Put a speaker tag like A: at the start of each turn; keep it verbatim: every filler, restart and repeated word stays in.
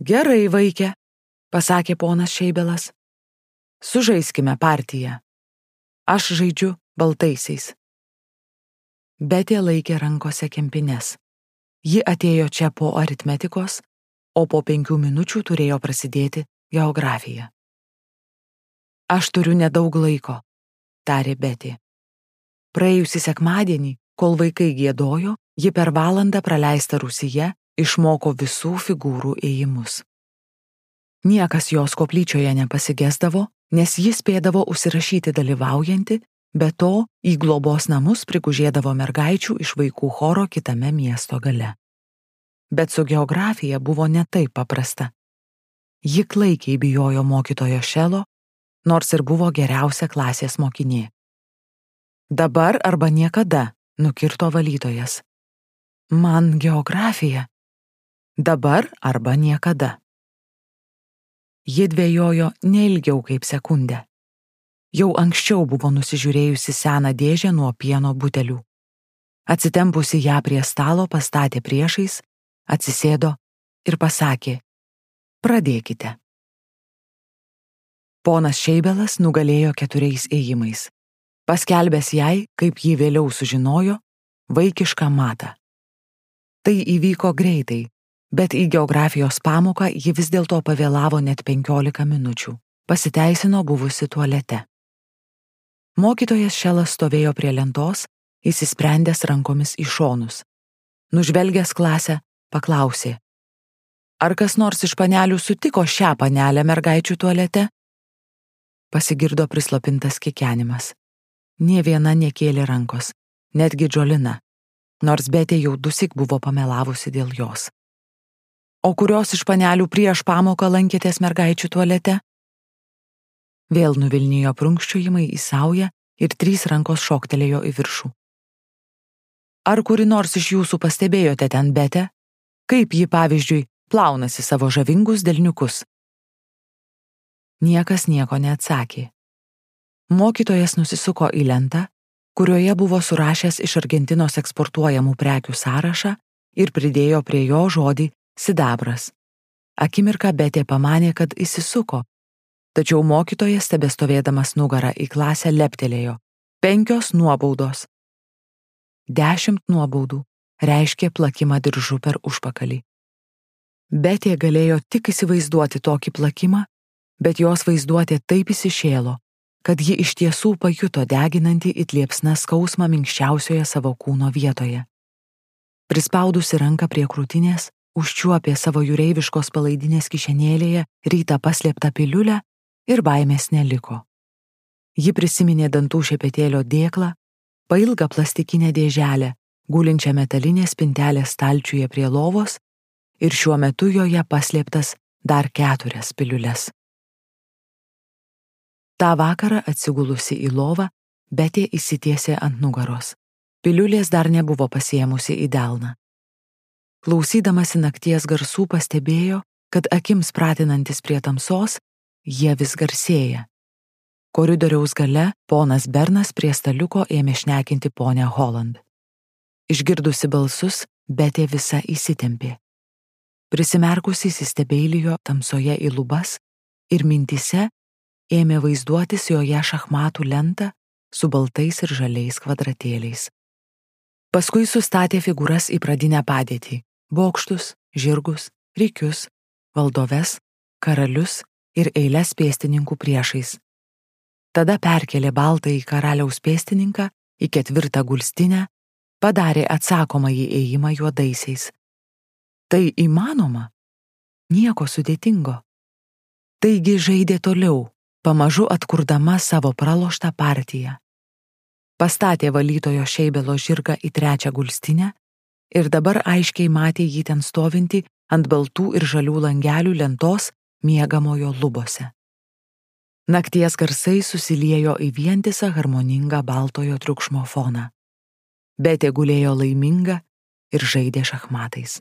A: Gerai, vaikė, pasakė ponas Šeibelas. Sužaiskime partiją. Aš žaidžiu baltaisiais. Betė laikė rankose kempines. Ji atėjo čia po aritmetikos, o po penkių minučių turėjo prasidėti geografija. Aš turiu nedaug laiko, tarė Betė. Praėjusį sekmadienį, kol vaikai giedojo, ji per valandą praleistą rūsyje išmoko visų figūrų ėjimus. Niekas jos koplyčioje nepasigesdavo, nes jis spėdavo užsirašyti dalyvaujanti, be to į globos namus prigužėdavo mergaičių iš vaikų choro kitame miesto gale. Bet su geografija buvo ne taip paprasta. Ji klaikiai bijojo mokytojo Šelo, nors ir buvo geriausia klasės mokinė. Dabar arba niekada, nukirto valytojas. Man geografija. Dabar arba niekada. Ji dvejojo neilgiau kaip sekundę. Jau anksčiau buvo nusižiūrėjusi seną dėžę nuo pieno butelių. Atsitempusi ją prie stalo pastatė priešais, atsisėdo ir pasakė: pradėkite. Ponas Šeibelas nugalėjo keturiais ėjimais, paskelbęs jai, kaip ji vėliau sužinojo, vaikišką matą. Tai įvyko greitai, bet į geografijos pamoką ji vis dėlto pavėlavo net penkiolika minučių, pasiteisino buvusi tualete. Mokytojas Šelas stovėjo prie lentos, įsisprendęs rankomis į šonus. Nužvelgęs klasę, paklausė: ar kas nors iš panelių sutiko šią panelę mergaičių tualete? Pasigirdo prislopintas kikenimas. Nė viena nekėlė rankos, netgi Džolina, nors Betė jau dusik buvo pamelavusi dėl jos. O kurios iš panelių prieš pamoką lankėtės mergaičių tualete? Vėl nuvilnijo prunkščiojimai į saują ir trys rankos šoktelėjo į viršų. Ar kuri nors iš jūsų pastebėjote ten Betę, kaip ji, pavyzdžiui, plaunasi savo žavingus delniukus? Niekas nieko neatsakė. Mokytojas nusisuko į lentą, kurioje buvo surašęs iš Argentinos eksportuojamų prekių sąrašą ir pridėjo prie jo žodį sidabras. Akimirką Betė pamanė, kad įsisuko, tačiau mokytojas, tebestovėdamas nugarą į klasę, leptelėjo: penkios nuobaudos. Dešimt nuobaudų reiškė plakimą diržu per užpakalį. Betė galėjo tik įsivaizduoti tokį plakimą, bet jos vaizduotė taip įsišėlo, kad ji iš tiesų pajuto deginantį it liepsna skausmą minkščiausioje savo kūno vietoje. Prispaudusi ranką prie krūtinės, užčiuopė savo jūreiviškos palaidinės kišenėlėje rytą paslėptą piliulę ir baimės neliko. Ji prisiminė dantų šepetėlio dėklą, pailgą plastikinę dėželę, gulinčią metalinės spintelės stalčiuje prie lovos ir šiuo metu joje paslėptas dar keturias piliules. Ta vakarą atsigulusi į lovą, Betė įsitiesė ant nugaros. Piliulės dar nebuvo pasiėmusi į delną. Klausydamasi nakties garsų pastebėjo, kad akims pratinantis prie tamsos, jie vis garsėja. Koridoriaus gale ponas Bernas prie staliuko ėmė šnekinti ponę Holland. Išgirdusi balsus, Betė visa įsitempė. Prisimerkusi įsistebeilijo tamsoje į lubas ir mintyse ėmė vaizduotis joje šachmatų lentą su baltais ir žaliais kvadratėliais. Paskui sustatė figūras į pradinę padėtį – bokštus, žirgus, rikius, valdoves, karalius ir eiles pėstininkų priešais. Tada perkelė baltąjį karaliaus pėstininką į ketvirtą gulstinę, padarė atsakomąjį ėjimą juodaisiais. Tai įmanoma? Nieko sudėtingo. Taigi žaidė toliau, pamažu atkurdama savo praloštą partiją. Pastatė valytojo Šeibelo žirgą į trečią gulstinę ir dabar aiškiai matė jį ten stovintį ant baltų ir žalių langelių lentos miegamojo lubose. Nakties garsai susiliejo į vientisą harmoningą baltojo triukšmo foną. Betė gulėjo laiminga ir žaidė šachmatais.